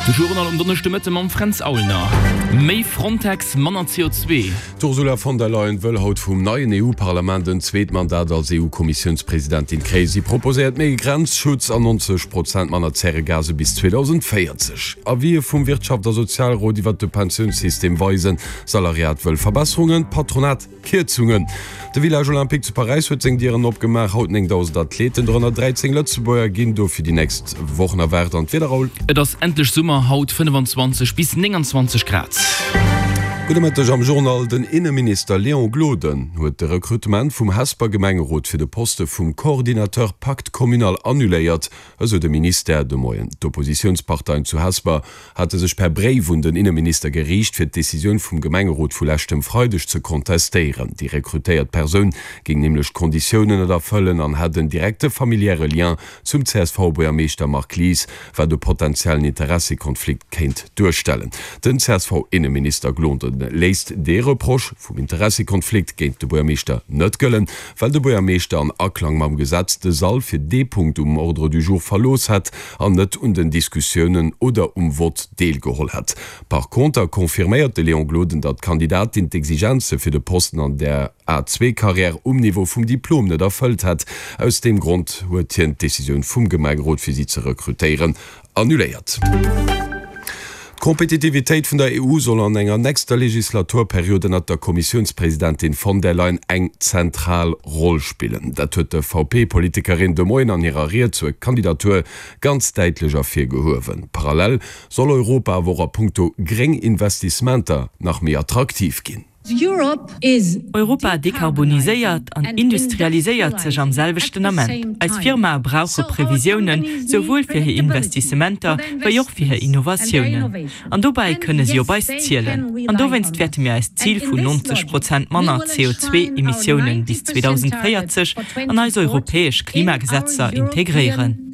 De Journal um Donneschdemëtte mam Fränz Aulner. Méi Frontex, manner CO2. D'Ursula von der Leyen wëll haut vum neien EU-Parlament en zweet Mandat als EU-Kommissiounspresidentin kréien. Si proposéiert méi Grenzschutz an 90 Prozent manner Zäregase bis 2040. Avisë vum Wirtschaft a Sozialrot iwwert de Pensiounssystem weisen, Salariat wëll Verbesserungen, d'Patronat Kierzungen. De Village Olympique zu Paräis huet seng Dieren opgemaach. Haut 9.000 Athleten, dorënner 13 Lëtzebuerger, ginn do fir déi nächst Wochen erwaart. An d'Wieder, Raoul? Et ass endlech Summer, haut 25 bis 29 Grad. Gudde Mëtteg am Journal. Den Inneminister Léon Gloden huet de Rekrutement vum Hesper Gemengerot fir de Poste vum Coordinateur Pacte communal annuléiert, esou de Ministère de Moien. D'Oppositiounsparteien zu Hesper hate sech per Bréif un den Inneminister geriicht, fir d'Decisioun vum Gemengerot vu leschtem Freideg ze kontestéieren. Déi rekrutéiert Persoun géing nämlech d'Konditiounen net erfëllen an hätt en direkte familiäre Lien zum CSV-Buergermeeschter Marc Lies, wat e potentiellen Interessekonflikt kéint duerstellen. Den CSV-Inneminister Gloden léisst dee Reproche vum Interessekonflikt géint de Buergermeeschter net gëllen, well de Buergermeeschter an Aklang mam Gesetz de Sall fir dee Punkt um Ordre du jour verlooss hätt an net un den Diskussiounen oder um Vott deelgeholl hätt. Par conter confirméiert de Léon Gloden, datt d'Kandidatin d'Exigenze fir de Posten an der A-zwee-Carrière um Niveau vum Diplom net erfëllt hätt. Aus deem Grond huet hien d'Decisioun vum Gemengerot fir si ze rekrutéieren annuléiert. D'Kompetitivitéit vun der EU soll an enger nächster Legislaturperiod ënnert der Kommissiounspresidentin von der Leyen eng zentral Roll spillen. Dat huet d'EVP-Politikerin de Moien an hirer Ried zur Kandidatur ganz däitlech ervirgehuewen. Parallel soll Europa awer och a punkto gréng Investissementer nach méi attraktiv ginn. Europa dekarboniséiert an industrialiséiert sech am selwechten Ament. Eis Firmae brauche Previsiounen, souwuel fir hir Investissementer wéi och fir hir Innovatiounen. An dobäi kënne si op eis zielen. An dowéinst wäerte mir eist Zil vun 90 Prozent manner CO2-Emissiounen bis 2040 an eis europäesch Klimagesetzer integréieren.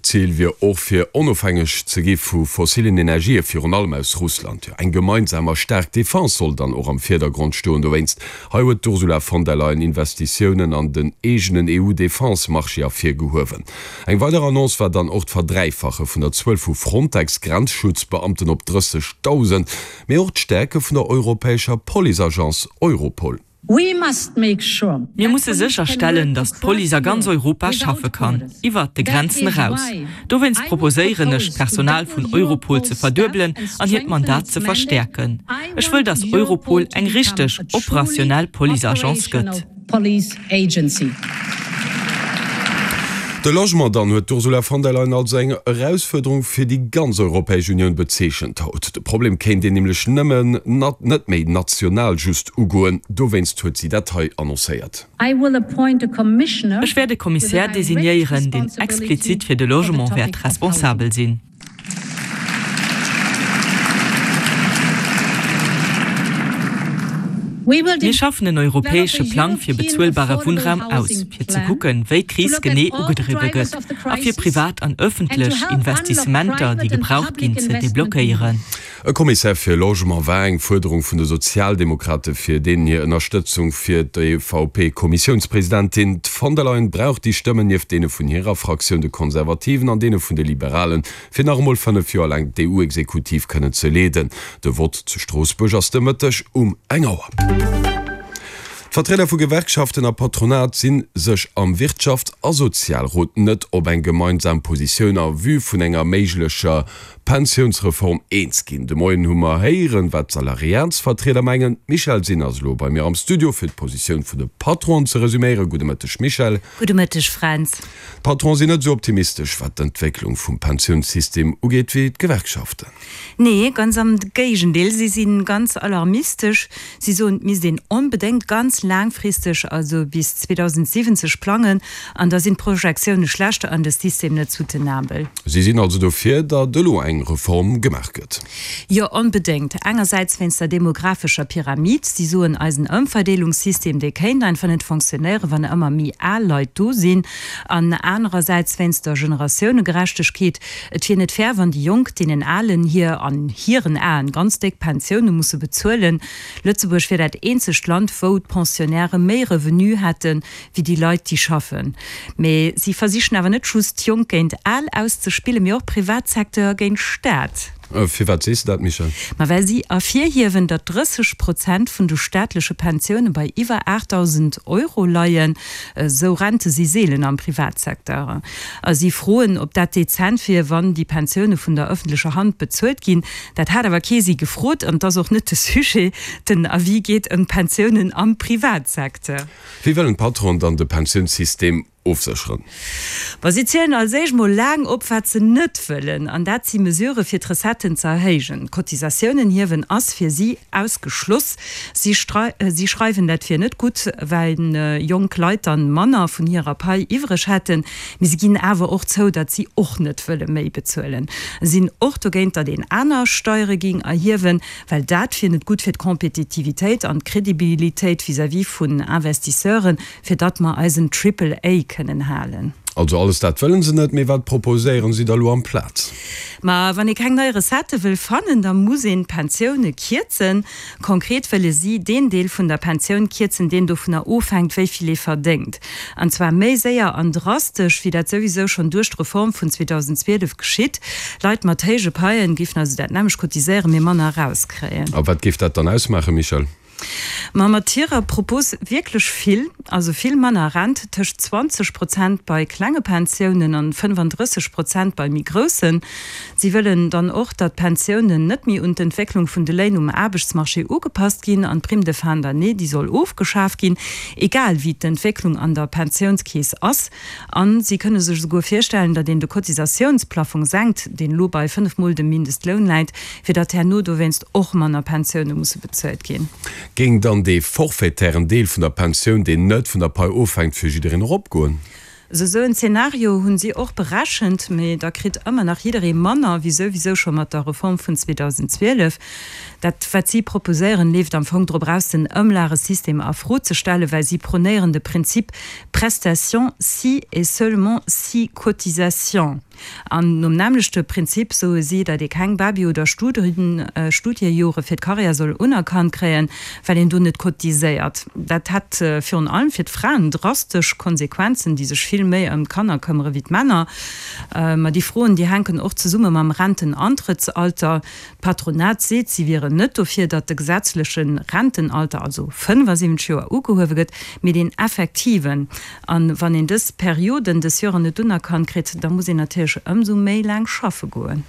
D'Zil wier och fir onofhängeg ze gi vu fossillen Energië, virun allem aus Russland. Jo, eng gemeinsam a staark Defense soll dann och am Virdergrond stoen. Dowéinst, hei huet d'Ursula von der Leyen Investitiounen an den eegenen EU-Defense-Marché ervirgehuewen. Eng weider Annonce war dann och d'Verdräifache vun der Zuel vu Frontex-Grenzschutzbeamten op 30.000, mee och d'Stäerke vun der europäescher Police-Agence Europol. Mir musse sécherstellen, datt d'Police a ganz Europa schaffe kann, iwwert de Grenzen eraus. Dowéinst proposéieren ech, d'Personal vun Europol ze verduebelen an hiert Mandat ze verstäerken. Ech wëll, datt Europol eng richteg operationell Policeagence gëtt. De Logement dann huet d'Ursula von der Leyen als eng Erausfuerderung fir déi ganz Europäesch Unioun bezeechent haut. De Problem kéint een nämlech nëmmen net méi national just ugoen. Dowéinst huet si dat hei annoncéiert. Ech wäert e Kommissär designéieren, deen explizit fir de Logement wäert responsabel sinn. Mir schaffen en europäesche Plang fir bezuelbare Wunnraum aus, fir ze kucken, wéi d'Kris genee ugedriwwe gëtt a fir privat an ëffentlech Investissementer, déi gebraucht ginn, ze deblockéieren. E Kommissär fir Logement war eng Fuerderung vun de Sozialdemokrate fir deenen hir Ënnerstëtzung fir d'EVP-Kommissiounspresidentin. D'von der Leyen brauch déi Stëmmen, nieft deene vun hirer Fraktioun, de Konservativen, an deene vun de Liberalen, fir nach emol 5 Joer laang d'EU-Exekutiv kënnen ze leeden. De Vott zu Stroossbuerg ass de Mëtteg um eng Auer. D'Vertrieder vu Gewerkschaften a Patronat si sech am Wirtschafts a Sozialrot net op eng gemeinsam Positioun a vue vun enger méiglecher Pensiounsreform eens ginn. De Moien hu mer héieren, wat d'Salariatsvertrieder mengen. D'Michèle Sinn ass elo bei mir am Studio, fir d'Positioun vun de Patronen ze resuméieren. Gudde Mëtteg, Michèle. Gudde Mëtteg, Fränz. D'Patronen sinn net esou optimistesch, wat d'Entwécklung vum Pensiounssystem ugeet, wéi d'Gewerkschaften. Nee, ganz am Géigendeel, si si ganz alarmistesch. Si soen, et misst een onbedéngt ganz laangfristeg, also bis 2070 plangen, an da sinn d'Projektioune schlechter an de System net soutenabel. Si sinn also dofir, datt elo eng Reform gemaach gëtt. Jo, onbedéngt. Engersäits wéinst der demographescher Pyramid. Si soen, eisen Ëmverdeelungssystem, dee kéint einfach net fonctionnéieren, wann ëmmer méi al Leit do sinn. An anerersäits wéinst der Generatiounegerechtegkeet. Et wier net fair, wann déi Jonk deenen Alen hir, an hiren Aen, ganz déck Pensioune musse bezuelen. Lëtzebuerg wier dat eenzegt Land, wou d'Pensioun. Pensionnairë méi Revenu hätte wéi déi Leit, déi schaffen. Mee si versichen awer net just Jonk géint Al auszespillen, mee och Privatsecteur géint Staat. Firwat sees de dat, Michèle? Ma well si ervirhiewen, datt 30 Prozent vun de staatleche Pensioune bei iwwer 8.000 Euro leien. Esou Rente si seelen am Privatsecteur. A si froen, ob dat dezent wier, wann déi Pensioune vun der ëffentlecher Hand bezuelt ginn. Dat hat awer kee si gefrot an et ass och net de Sujet. Den Avis geet ëm d'Pensiounen am Privatsecteur. Wéi wëllen d'Patronen dann de Pensiounssystem ofsécheren? Ma si zielen als éischt mol laang op, wat se net wëllen, an dat si Mesurë fir d'Recetten ze erhéijen. D'Cotisatiounen hiewen ass fir si ausgeschloss. Si schreiwen, dat wier net gutt, well jonk Leit dann manner vun hirer Pai iwwreg hätten. Mee si ginn awer och zou, datt si och net wëlle méi bezuelen. Sinn och dogéint, datt een aner Steiere géing erhiewen. Well dat wier net gutt fir d'Kompetitivitéit an d'Credibilitéit vis-à-vis vun Investisseuren, fir datt mer eisen Triple A kënnen halen. Also alles dat wëllen se net, mee wat proposéieren si da lo amplaz? Ma wann ee keng nei Recettë wëll fannen, da muss een d'Pensioune kierzen. Konkret wëlle si deen Deel vun der Pensioun kierzen, deen dovunner ofhänkt, wéi vill ee verdéngt. An zwar méi séier an drastesch, wéi dat souwisou schonn duerch d'Reform vun 2012 geschitt. Leit mat héije Paien géifen also dat nämmlecht cotiséieren, mee manner erauskréien. A wat géif dat dann ausmaachen, Michèle? Ma mat hirer Propos wierklech vill, also vill manner Rent, tëscht 20 Prozent bei klenge Pensiounen an 35 Prozent bei méi groussen. Si wëllen dann och, datt d'Pensiounen net méi un d'Entwécklung vun de Léin um Aarbechtsmarché ugepasst ginn an d'Prime de fin d'année, déi soll ofgeschaf ginn, egal wéi d'Entwécklung an der Pensiounskeess ass. A si kënne sech esouguer virstellen, datt een de Cotisatiounsplaffong senkt, deen elo bei 5 Mol dem Mindestloun läit, fir datt herno dowéinst och manner Pensioune musse bezuelt ginn. Géing dann dee forfaitären Deel vun der Pensioun, deen net vun der Pai ofhänkt, fir jiddereen eropgoen? Esou en Zeenario hunn si och berechent, mee da kritt ëmmer nach jidderee manner wéi souwisou scho mat der Reform vun 2012. Dat wat si proposéieren, leeft am Fong drop eraus den Ëmlagesystem a Fro ze stellen, well si pronéieren de Prinzip Prestation si et seulement si cotisation. An nom nämmlechte Prinzip soe si, datt ee keng Baby oder Studiejore fir d'Karriär soll unerkannt kréien, well een do net cotiséiert. Dat hätt virun allem fir d'Fraen drastesch Konsequenzen, déi sech vill méi ëm d'Kanner këmmere wéi d'Männer. Ma déi Froen, déi hänken och zesumme mam Rentenantrëttsalter. D'Patronat seet, si wieren net dofir, datt de gesetzleche Rentenalter, also 75 Joer, ugehuewe gëtt, mee deen effektiven. A wann een dës Perioden des Joren net unerkannt kritt, da muss een natierlech ëmsou méi laang schaffe goen.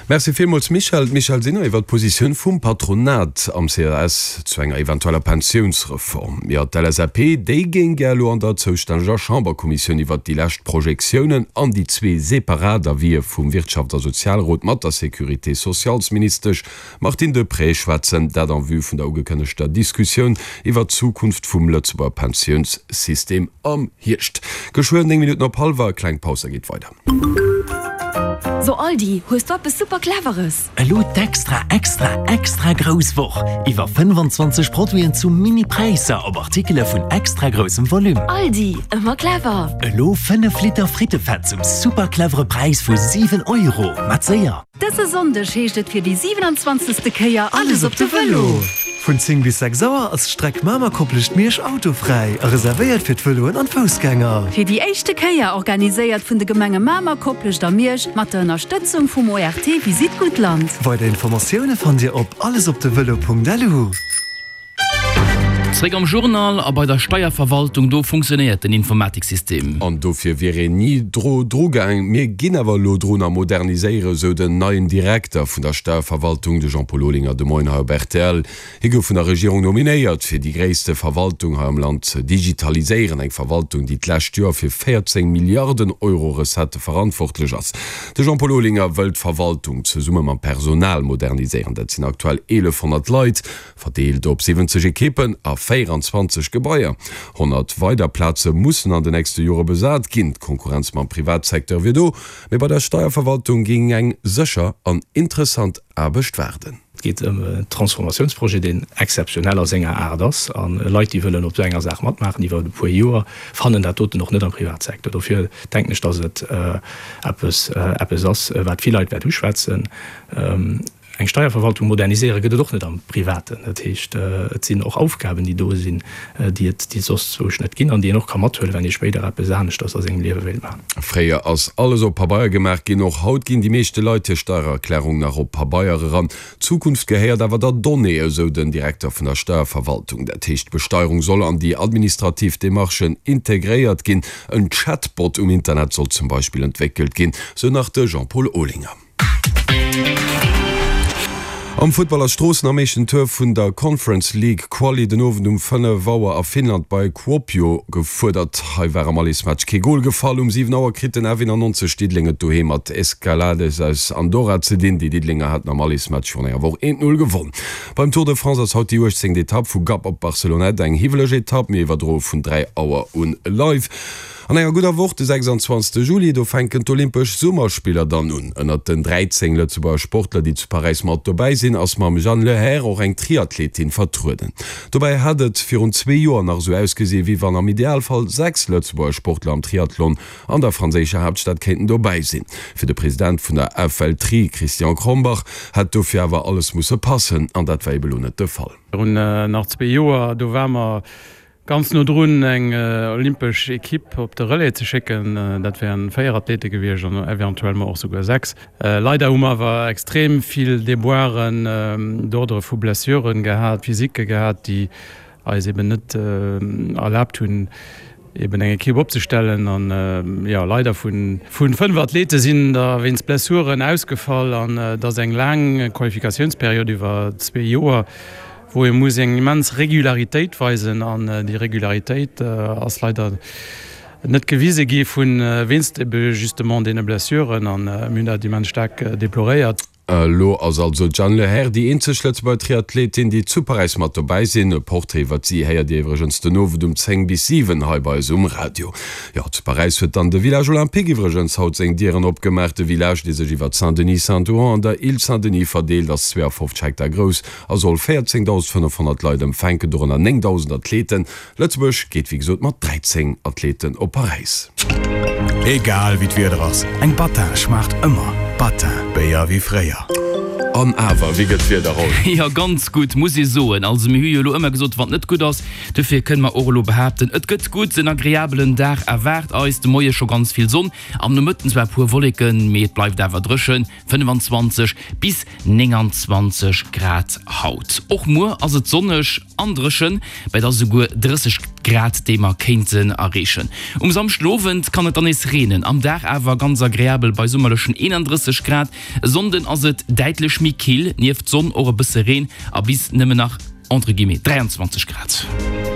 Merci villmools Michèle. D'Michèle Sinner iwwer d'Positioun vum Patronat am ces zu enger eventueller Pensiounsreform. Jo, d'LSAP, déi géing gär elo an der zoustänneger Chamberkommissioun iwwert déi lescht Projektiounen an déi zwee separat Avisë vum Wirtschafts a Sozialrot mat der Sécurité socialsministesch Martine Deprez schwätzen, dat en vue vun der ugekënnegter Diskussioun iwwert d'Zukunft vum Lëtzebuerger Pensiounssystem am Hierscht. Geschwë 9 Minutten op hallwer, kleng Paus, da geet weider. So Aldi, hues du eppes super cleveres? Elo d'extra extra extra grouss Woch! Iwwer 25 Produiten zu mini Präisser op Artikele vun extra groussem Volume. Aldi, ëmmer clever! Elo 5 Liter Frittefett zum super clevere Präis vu 7 Euro. Mat séier! Dëse Sonndeg heescht et fir déi 27. Kéier Alles op de Vëlo! Vun 10 bis 6 Auer ass d'Streck Mamer-Koplescht-Miersch autofräi a reservéiert fir d'Vëloen an d'Foussgänger. Fir déi éischte Kéier organiséiert vun de Gemenge Mamer, Koplescht a Miersch mat der Ënnerstëtzung vum ORT Visite Guttland. Weider Informatioune fannt Dir op allesopdevëlo.lu. Zréck am Journal a bei der Steierverwaltung, do funktionéiert den Informatiksystem. An dofir wier een ni dru gaang. Mir ginn awer elo drun a moderniséiere, sou den neien Direkter vun der Steierverwaltung, de Jean-Paul Olinger, de Moien hei op rtl. Hie gouf vun der Regierung nominéiert, fir déi gréisste Verwaltung hei am Land ze digitaliséieren. Eng Verwaltung, déi d'lescht Joer fir 14 Milliarden Euro Recettë verantwortlech ass. De Jean-Paul Olinger wëll d'Verwaltung zesumme mam Personal moderniséieren. Dat sinn aktuell 1.100 Leit. Verdeelt op 70 Ekippen a 24 Gebaier. 100 weider Plaze mussen an de nächste Jore besat ginn. D'Konkurrenz mam Privatsecteur wier do, mee bei der Steierverwaltung géing eng sécher an interessant Aarbecht waarden. Et geet ëm en Transformatiounsprojet, deen exzeptionell a senger Aart ass. A Leit, déi wëllen op esou enger Saach matmaachen iwwer e puer Joer, fannen dat doten och net am Privatsecteur. Dofir denken ech, datt et eppes ass, wat vill Leit wäert uschwätzen. Eng Steierverwaltung moderniséiere gëtt et och net am Privaten. Dat heescht, et sinn och Aufgaben, déi do sinn, déi et déi et soss zwousch net ginn an déi een och ka mathuelen, wann ee spéider eppes aneschters a sengem Liewe wéilt maachen. Fréier ass alles op Pabeier gemaach ginn. Och haut ginn déi meeschte Leit hir Steiererklärung nach op Pabeier eran. D'Zukunft gehéiert awer der Donnée, esou den Direkter vun der Steierverwaltung. Dat heescht, d'Besteierung soll an déi administrativ Demarchen integréiert ginn. En Chatbot um Internet soll zum Beispill entwéckelt ginn, sou nach de Jean-Paul Olinger. Am Futtball ass Stroossen am éischten Tour vun der Conference League Quali den Owend um 5 Auer a Finnland bei Kuopio gefuerdert. Hei war am Allesmatch kee Gol gefall. Um 7 Auer kritt den F91 Diddeleng et doheem mat Escalades aus Andorra ze dinn. Déi Diddelenger haten am Allesmatch virun enger Woch 1, 0 gewonn. Beim Tour de France ass haut déi 18. Etapp vu Gap op Barcelonnette eng hiwweleg Etapp. Mir iwwerdroe vun 3 Auer un live. An enger gudder Woch, de 26 Juli, do fänken d'Olympesch Summerspiller dann un. Ënnert den 13 Lëtzebuerger Sportler, déi zu Paräis mat dobäi sinn, ass mam Jeanne Lehair och eng Triathletin vertrueden. Dobäi hat et virun zwee Joer nach esou ausgesi wéi wann am Idealfall 6 Lëtzebuerger Sportler am Triathlon an der franséischer Haaptstad kéinten dobäi sinn. Fir de President vun der FLTri, Christian Krombach, hätt dofir awer alles musse passen an dat war ebe lo net de Fall. Virun nach zwee Joer, do ware mer Ganz no drun eng olympesch Equipe op de Relais ze schécken, dat wären 4 Athlete gewiescht an eventuellement och souguer 6. Leider hu mer awer extrem vill Déboiren d'ordre vu Blessuren gehat, physique gehat, déi eis eben net erlaabt hunn, eben eng Equipe opzestellen. An jo, leider vu 5 Athlete sinn der wéinst Blessuren ausgefall an et ass eng laang Qualifikatiounsperiod iwwer zwee Joer. wou ee muss eng immens Regularitéit weisen an déi Regularitéit ass leider net gewise gi vu wéinst ebe justement deene Blessuren an mir hunn dat immens staark deploréiert. Elo ass also d'Jeanne Lehair déi eenzeg Lëtzebuerger Triathletin, déi zu Paräis mat dobäi sinn. E Portrait iwwert si héiert Dir iwwregens den Owend um 10 bis 7 hei bei eis um Radio. Jo, zu Paräis huet dann de Village Olympique iwwregens haut seng Dieren opgemaach. De Village, dee sech iwwert Saint-Denis, Saint-Ouen an der Île Saint-Denis verdeelt, ass 52 Hektar grouss a soll 14.500 Leit empfänken, dorënner 9.000 Athleten. Lëtzebuerg geet wéi gesot mat 13 Athleten op Paräis. Egal wéi d'Wieder ass, eng Battin schmaacht ëmmer. Battin, Béier wéi fréier. An awer, wéi gëtt d'Wieder, Roll? Jo, ganz gutt, muss ee soen. Also mir hu jo elo ëmmer gesot, wann et net gutt ass. Dofir kënne mer och elo behaapten, et gëtt gutt. En agreabelen Dag erwaart eis. De Moie scho ganz vill Sonn, am Nomëtten zwar e puer Wolleken, mee et bleift awer dréchen. 25 bis 29 Grad haut. Och muer ass et sonneg an dréchen, bei da souguer 30 Grad, déi mer kéinten erreechen. Um Samschdenowend kann et dann nees reenen, am Dag awer ganz agreabel bei summerlechen 31 Grad. E Sonnden ass et däitlech méi kill, nieft Sonn och e bësse Reen a bis nëmmen nach entre guillemets 23 Grad.